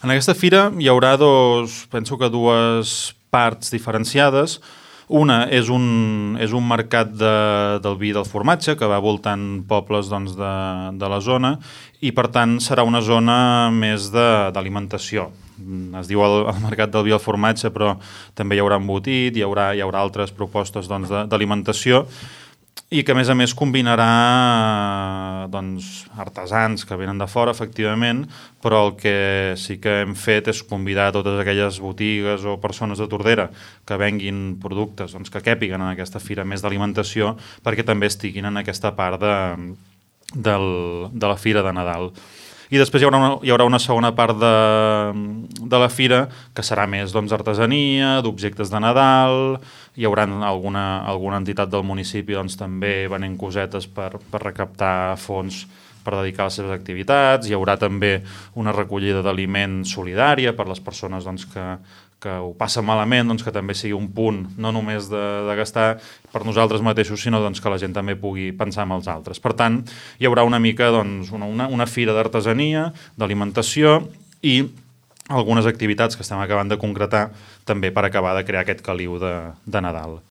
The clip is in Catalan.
En aquesta fira hi haurà penso que dues parts diferenciades. Una és un mercat del vi i del formatge que va voltant pobles de la zona i per tant serà una zona més d'alimentació. Es diu el mercat del vi i el formatge, però també hi haurà embotit, hi haurà altres propostes d'alimentació i que a més combinarà artesans que venen de fora, efectivament, però el que sí que hem fet és convidar totes aquelles botigues o persones de Tordera que venguin productes que càpiguen en aquesta fira més d'alimentació perquè també estiguin en aquesta part de la fira de Nadal. I després hi haurà una segona part de la fira que serà més artesania, d'objectes de Nadal, hi haurà alguna entitat del municipi també venent cosetes per recaptar fons per dedicar a les seves activitats, hi haurà també una recollida d'aliment solidària per les persones que ho passen malament, que també sigui un punt no només de gastar per nosaltres mateixos, sinó que la gent també pugui pensar en els altres. Per tant, hi haurà una mica una fira d'artesania, d'alimentació i algunes activitats que estem acabant de concretar també per acabar de crear aquest caliu de Nadal.